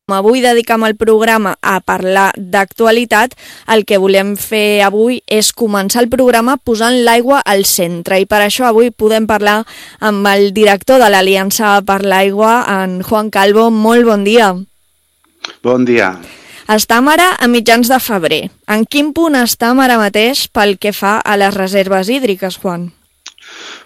Avui dedicam el programa a parlar d'actualitat. El que volem fer avui és començar el programa posant l'aigua al centre i per això avui podem parlar amb el director de l'Aliança per l'Aigua, en Juan Calvo. Molt bon dia. Bon dia. Estam ara a mitjans de febrer. En quin punt estam ara mateix pel que fa a les reserves hídriques, Juan?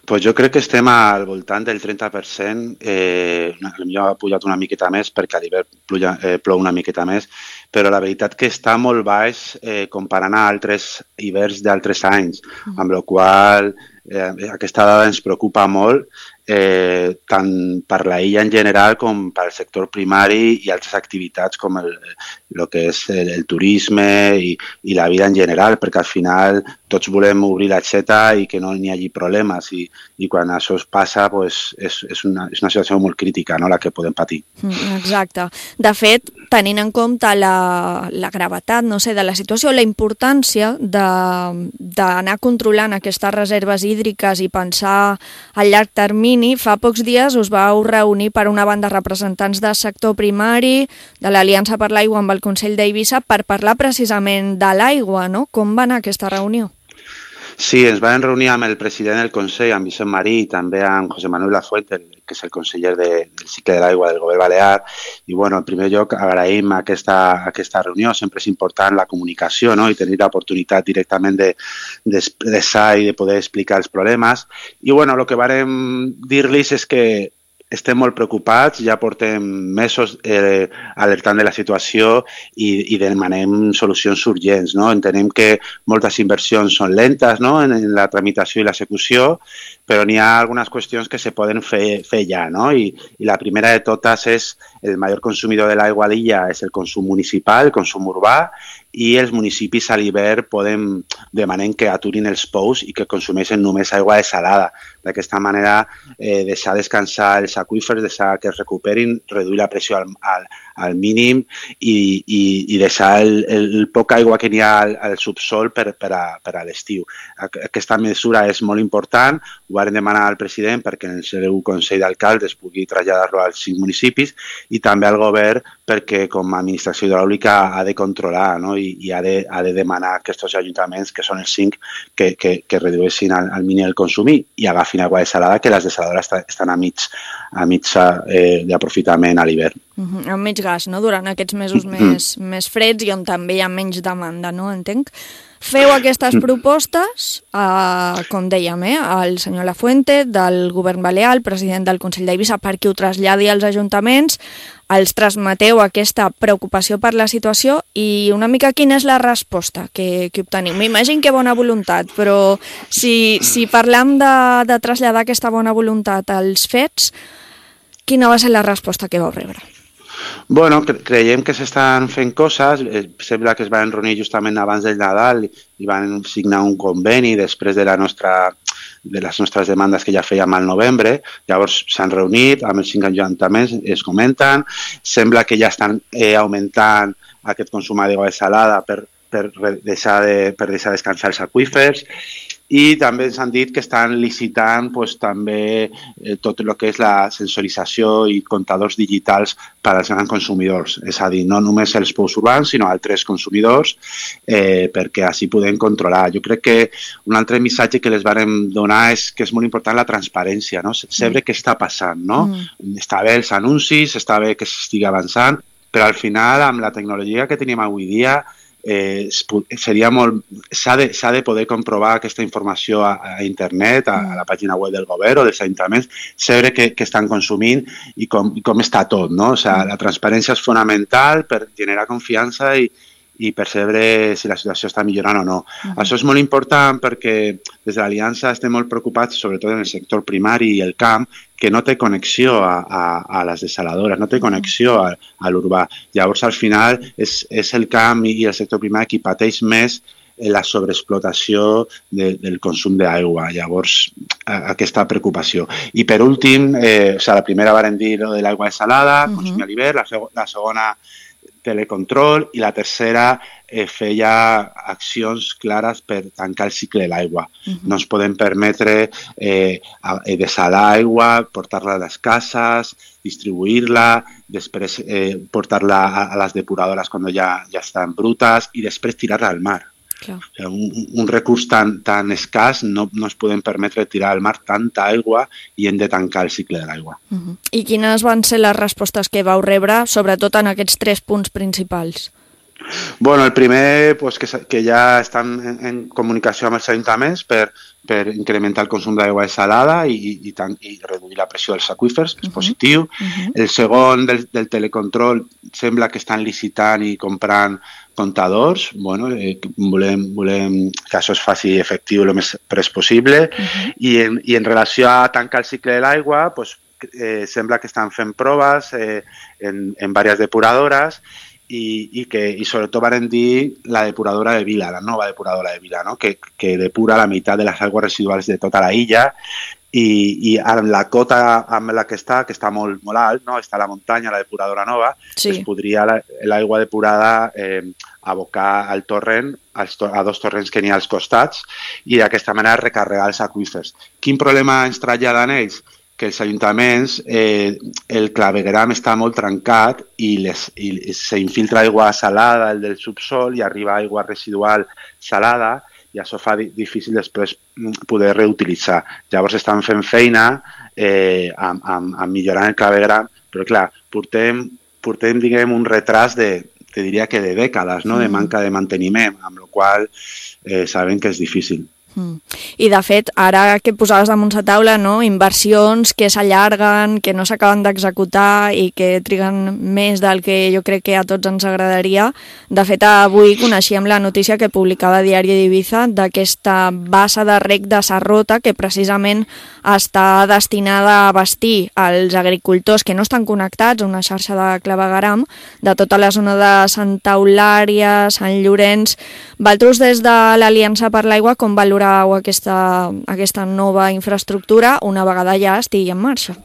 Pues jo crec que estem al voltant del 30%, potser ha pujat una miqueta més perquè a l'hivern plou una miqueta més, però la veritat que està molt baix comparant a altres hiverns d'altres anys, amb la qual aquesta dada ens preocupa molt, tant per la illa en general com pel sector primari i altres activitats com el que és el turisme i la vida en general, perquè al final tots volem obrir l'aixeta i que no hi hagi problemes i quan això es passa pues, és una situació molt crítica, no?, la que podem patir. Exacte. De fet, tenint en compte la gravetat, no sé, de la situació, la importància d'anar controlant aquestes reserves hídriques i pensar a llarg termini, fa pocs dies us vau reunir per una banda representants del sector primari, de l'Aliança per l'Aigua amb el Consell d'Eivissa, per parlar precisament de l'aigua, no? Com va anar aquesta reunió? Sí, ens vam reunir amb el president del Consell, amb Vicent Marí, i també amb José Manuel Lafuente, que és el conseller del cicle de l'aigua del Govern Balear. I, bueno, en primer lloc, agraïm aquesta reunió. Sempre és important la comunicació, no?, i tenir l'oportunitat directament d'expressar i de poder explicar els problemes. I, bueno, el que vàrem dir-los és que estem molt preocupats, ja portem mesos alertant de la situació i demanem solucions urgents, no? Entenem que moltes inversions són lentes, no?, en la tramitació i l'execució, però n'hi ha algunes qüestions que se poden fer ja, no? I la primera de totes és el major consumidor de l'aigua a l'illa és el consum municipal, el consum urbà, i els municipis a l'hivern demanem que aturin els pous i que consumeixen només aigua desalada. D'aquesta manera, deixar descansar els aqüífers, deixar que es recuperin, reduir la pressió al mínim i deixar el poca aigua que n'hi ha al subsol per a l'estiu. Aquesta mesura és molt important, ho vam demanar al president perquè en el seu Consell d'Alcaldes pugui traslladar-lo als 5 municipis i també al govern perquè com a administració hidràulica ha de controlar, no?, i ha de demanar a aquests ajuntaments, que són els 5, que redueixin al mínim el consum i agafin aigua desalada, que les desaladores estan a mig d'aprofitament a l'hivern. Amb menys gas, no?, durant aquests mesos més freds i on també hi ha menys demanda, no?, entenc. Feu aquestes propostes, com dèiem, al senyor Lafuente, del Govern Balear, el president del Consell d'Eivissa, perquè ho traslladi als ajuntaments, els transmeteu aquesta preocupació per la situació i una mica quina és la resposta que obteniu. M'imagino que bona voluntat, però si parlam de traslladar aquesta bona voluntat als fets, quina va ser la resposta que vau rebre? Bueno, creiem que s'estan fent coses. Sembla que es van reunir justament abans del Nadal i van signar un conveni després de les nostres demandes que ja fèiem al novembre. Llavors s'han reunit amb els 5 ajuntaments, es comenten. Sembla que ja estan augmentant aquest consum d'aigua desalada per deixar descansar els aqüífers. I també ens han dit que estan licitant també tot el que és la sensorització i comptadors digitals per als grans consumidors. És a dir, no només els pous urbans, sinó altres consumidors, perquè així podem controlar. Jo crec que un altre missatge que les vàrem donar és que és molt important la transparència, no? Saber què està passant, no? Està bé els anuncis, està bé que s'estigui avançant, però al final, amb la tecnologia que tenim avui dia, s'ha de poder comprovar aquesta informació a internet, a la pàgina web del govern o dels ajuntaments, saber què estan consumint i com està tot, no? O sigui, la transparència és fonamental per generar confiança i percebre si la situació està millorant o no. Això és molt important perquè des de l'Aliança estem molt preocupats, sobretot en el sector primari i el camp, que no té connexió a les desaladores, no té connexió a l'urbà. Llavors, al final, és el camp i el sector primari qui pateix més la sobreexplotació del consum d'aigua. Llavors, aquesta preocupació. I per últim, la primera vàrem dir de l'aigua desalada, consumir a l'hivern, la segona telecontrol, i la tercera feia accions clares per tancar el cicle de l'aigua. No ens podem permetre dessalar aigua, portar-la a les cases, distribuir-la, després portar-la a les depuradores quan ja estan brutes i després tirar-la al mar. O sigui, un recurs tan escàs no ens podem permetre tirar al mar tanta aigua i hem de tancar el cicle de l'aigua. I quines van ser les respostes que vau rebre, sobretot en aquests 3 punts principals? Bueno, el primer, pues, que ja estan en comunicació amb els ajuntaments per incrementar el consum d'aigua desalada i reduir la pressió dels aqüífers, que és positiu. El segon, del telecontrol, sembla que estan licitant i comprant comptadors. Bueno, volem que això es faci efectiu el més pres possible. I en relació a tancar el cicle de l'aigua, pues, sembla que estan fent proves en diverses depuradores i sobretot van dir la depuradora de Vila, la nova depuradora de Vila, no? que depura la meitat de les aigües residuals de tota la illa i amb la cota amb la que està molt alt, no? Està a la muntanya, la depuradora nova, es podria l'aigua depurada abocar al torrent, a 2 torrents que n'hi ha als costats i d'aquesta manera recarregar els aqüífers. Quin problema ens traslladen ells? Que els ajuntaments, el clavegueram està molt trencat i s'infiltra aigua salada, el del subsol, i arriba aigua residual salada i això fa difícil després poder reutilitzar. Llavors estan fent feina a millorar el clavegueram, però clar, portem diguem, un retras te diria que de dècades, no? De manca de manteniment, amb la qual sabem que és difícil. I de fet, ara que posaves damunt la taula, no? Inversions que s'allarguen, que no s'acaben d'executar i que triguen més del que jo crec que a tots ens agradaria. De fet, avui coneixíem la notícia que publicava Diari d'Ibiza d'aquesta bassa de rec de Sarrota que precisament està destinada a abastir els agricultors que no estan connectats a una xarxa de clavegueram de tota la zona de Santa Eulària, Sant Llorenç. Vosaltres des de l'Aliança per l'Aigua com valoreu aquesta nova infraestructura una vegada ja estigui en marxa?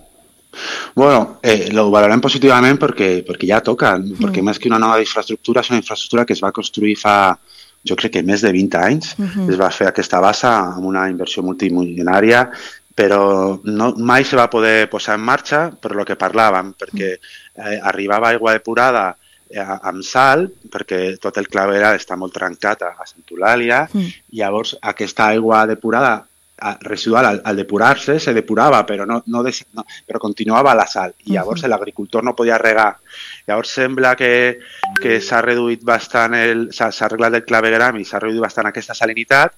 Bueno, lo valorem positivament perquè ja toca, perquè més que una nova infraestructura és una infraestructura que es va construir fa, jo crec que més de 20 anys. Es va fer aquesta bassa amb una inversió multimilionària, però mai se va poder posar en marxa per lo que parlàvem, perquè arribava aigua depurada amb sal, perquè tot el clavegueram està molt trencat a Santa Eulàlia, i llavors aquesta aigua depurada residual al depurar-se se depurava, però continuava la sal, i llavors l'agricultor no podia regar. Llavors sembla que s'ha reduït bastant, s'ha arreglat el clavegueram i s'ha reduït bastant aquesta salinitat.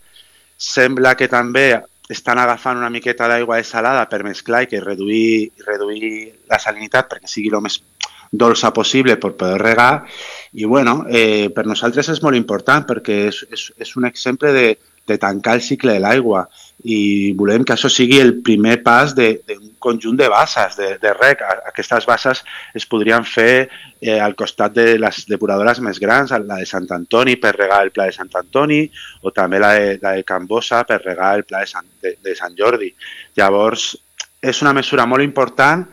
Sembla que també estan agafant una miqueta d'aigua desalada per mesclar i reduir la salinitat perquè sigui el més dolça possible per poder regar i bueno, per nosaltres és molt important perquè és un exemple de tancar el cicle de l'aigua i volem que això sigui el primer pas d'un conjunt de basses de rec. Aquestes basses es podrien fer al costat de les depuradores més grans, la de Sant Antoni per regar el Pla de Sant Antoni o també la de Can Bossa per regar el Pla de Sant Jordi. Llavors, és una mesura molt important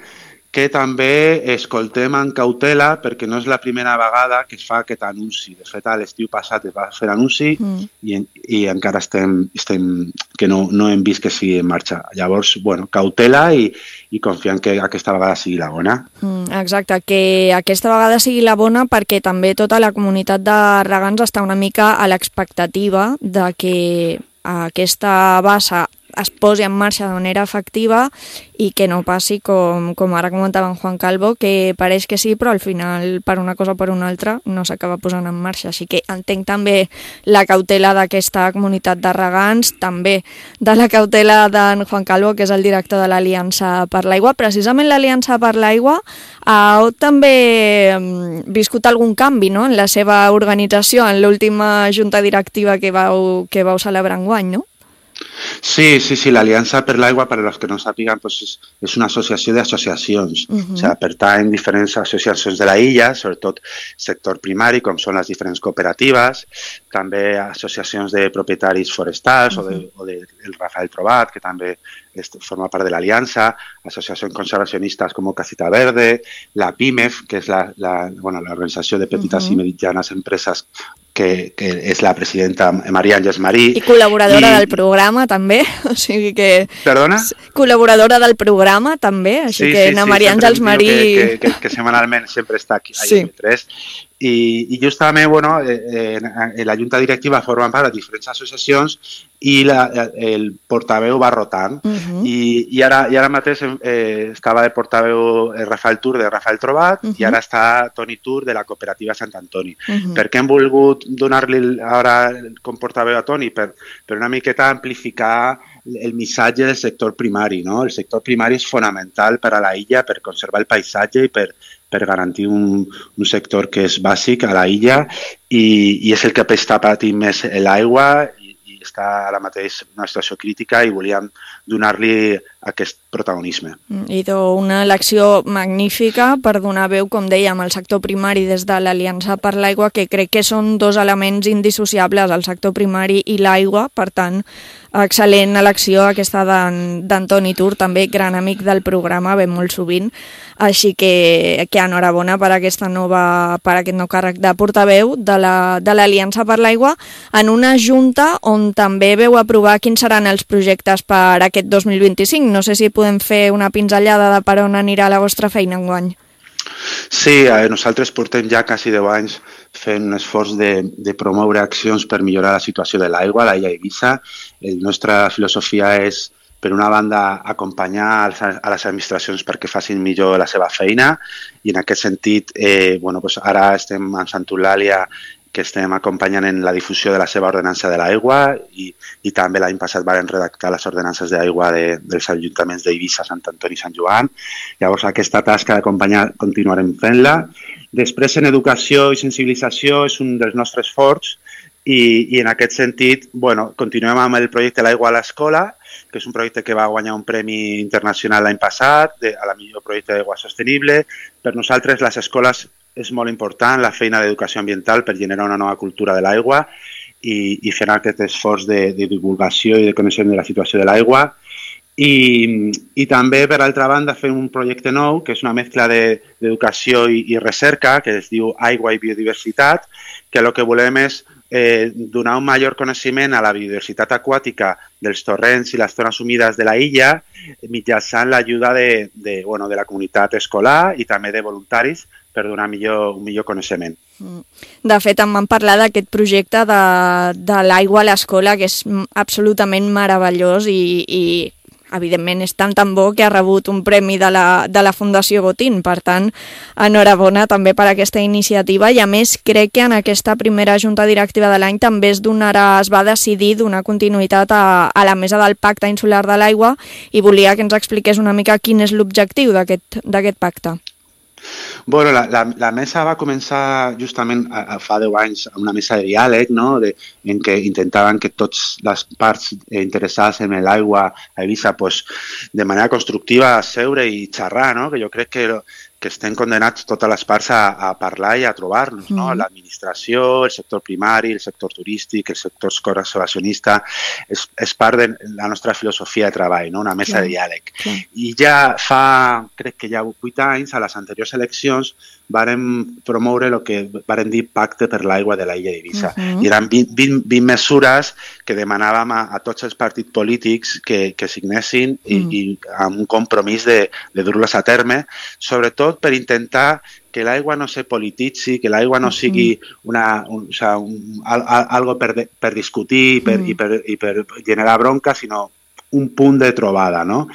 que també escoltem amb cautela perquè no és la primera vegada que es fa aquest anunci. De fet, a l'estiu passat es va fer l'anunci i encara que no hem vist que sigui en marxa. Llavors, bueno, cautela i confiant que aquesta vegada sigui la bona. Exacte, que aquesta vegada sigui la bona perquè també tota la comunitat de regants està una mica a l'expectativa de que aquesta bassa es posi en marxa de manera efectiva i que no passi com ara comentava en Juan Calvo, que pareix que sí, però al final per una cosa o per una altra no s'acaba posant en marxa. Així que entenc també la cautela d'aquesta comunitat de regants, també de la cautela d'en Juan Calvo, que és el director de l'Aliança per l'Aigua. Precisament l'Aliança per l'Aigua ha també viscut algun canvi, no?, en la seva organització, en l'última junta directiva que vau celebrar enguany, no? Sí, l'Aliança per l'Aigua, per als que no sàpiguen, doncs és una associació d'associacions. O sigui, pertany diferents associacions de la illa, sobretot sector primari, com són les diferents cooperatives, també associacions de propietaris forestals o del Rafael Trobat, que també forma part de l'Aliança, associacions conservacionistes com Casita Verde, la PIMEF, que és l'organització de petites i mitjanes empreses que és la presidenta Maria Àngels Marí. I col·laboradora del programa, també. O sigui que... Perdona? Col·laboradora del programa, també. Així que na Maria Àngels Marí... Que setmanalment sempre està aquí a IB3. I justament, la Junta Directiva forma part de diferents associacions i el portaveu va rotant. I ara mateix estava de portaveu Rafael Tur de Rafael Trobat i ara està Toni Tur de la cooperativa Sant Antoni. Per què hem volgut donar-li ara com portaveu a Toni? Per una miqueta amplificar el missatge del sector primari, no? El sector primari és fonamental per a la illa, per conservar el paisatge i per garantir un sector que és bàsic a la illa i és el que està patint més l'aigua i està ara mateix en una situació crítica i volíem donar-li aquest protagonisme. I una elecció magnífica per donar veu, com dèiem, al sector primari des de l'Aliança per l'Aigua, que crec que són dos elements indissociables, el sector primari i l'aigua. Per tant, excel·lent elecció aquesta d'Antoni Tur, també gran amic del programa, ve molt sovint. Així que enhorabona per aquest nou càrrec de portaveu de l'Aliança per l'Aigua en una junta on també veu aprovar quins seran els projectes per aquest 2025. No sé si podem fer una pinzellada de per on anirà la vostra feina enguany. Sí, nosaltres portem ja quasi 10 anys fent un esforç de promoure accions per millorar la situació de l'aigua a l'illa Eivissa. La nostra filosofia és, per una banda, acompanyar a les administracions perquè facin millor la seva feina i en aquest sentit, ara estem a Sant Eulàlia, que estem acompanyant en la difusió de la seva ordenança de l'aigua i també l'any passat vam redactar les ordenances d'aigua dels ajuntaments d'Eivissa, Sant Antoni i Sant Joan. Llavors, aquesta tasca d'acompanyar continuarem fent-la. Després, en educació i sensibilització és un dels nostres forts i en aquest sentit, continuem amb el projecte L'aigua a l'escola, que és un projecte que va guanyar un premi internacional l'any passat a la millor projecte d'aigua sostenible. Per nosaltres, les escoles és molt important la feina d'educació ambiental per generar una nova cultura de l'aigua i fer aquest esforç de divulgació i de coneixement de la situació de l'aigua. I també, per altra banda, fem un projecte nou, que és una mescla d'educació i recerca, que es diu Aigua i Biodiversitat, que el que volem és donar un major coneixement a la biodiversitat aquàtica dels torrents i les zones humides de la illa mitjançant l'ajuda de la comunitat escolar i també de voluntaris per donar un millor coneixement. De fet, em van parlar d'aquest projecte de l'aigua a l'escola, que és absolutament meravellós i evidentment és tan bo que ha rebut un premi de la Fundació Botín. Per tant, enhorabona també per aquesta iniciativa i a més crec que en aquesta primera junta directiva de l'any també es va decidir donar continuïtat a la mesa del Pacte Insular de l'Aigua i volia que ens expliqués una mica quin és l'objectiu d'aquest pacte. La mesa va començar justament fa 10 anys amb una mesa de diàleg, no? En què intentaven que totes les parts interessades en l'aigua a Eivissa de manera constructiva seure i xerrar, no? Que jo crec que estem condenats totes les parts a parlar i a trobar-nos, no? L'administració, el sector primari, el sector turístic, el sector conservacionista, és part de la nostra filosofia de treball, no? Una mesa de diàleg. I ja crec que ja 8 anys, a les anteriors eleccions, vàrem promoure el que vàrem dir Pacte per l'aigua de l'illa d'Eivissa. I eren 20 mesures que demanàvem a tots els partits polítics que signessin i amb un compromís de dur-les a terme, sobretot per intentar que l'aigua no se polititzi, que l'aigua no sigui algo per discutir i per generar bronca, sinó un punt de trobada, no?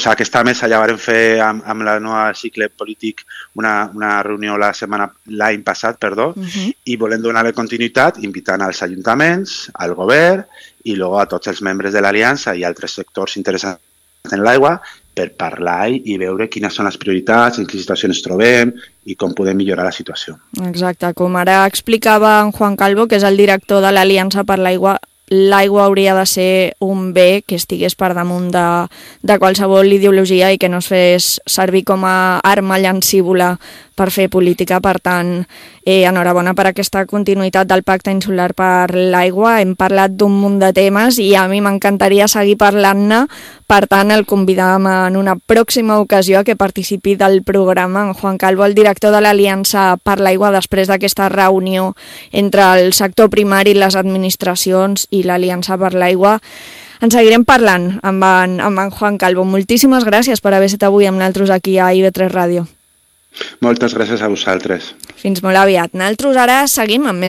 Aquesta mesa ja vam fer amb la nova cicle polític una reunió l'any passat, i volem donar-li continuïtat invitant als ajuntaments, al govern i a tots els membres de l'Aliança i altres sectors interessats en l'aigua per parlar i veure quines són les prioritats, en quina situació ens trobem i com podem millorar la situació. Exacte, com ara explicava en Juan Calvo, que és el director de l'Aliança per l'Aigua, l'aigua hauria de ser un bé que estigués per damunt de qualsevol ideologia i que no es fes servir com a arma llancívola per fer política. Per tant, enhorabona per aquesta continuïtat del Pacte Insular per l'Aigua. Hem parlat d'un munt de temes i a mi m'encantaria seguir parlant-ne. Per tant, el convidam en una pròxima ocasió a que participi del programa en Juan Calvo, el director de l'Aliança per l'Aigua, després d'aquesta reunió entre el sector primari, les administracions i l'Aliança per l'Aigua. En seguirem parlant amb en Juan Calvo. Moltíssimes gràcies per haver estat avui amb nosaltres aquí a IB3 Ràdio. Moltes gràcies a vosaltres. Fins molt aviat. Nosaltres ara seguim amb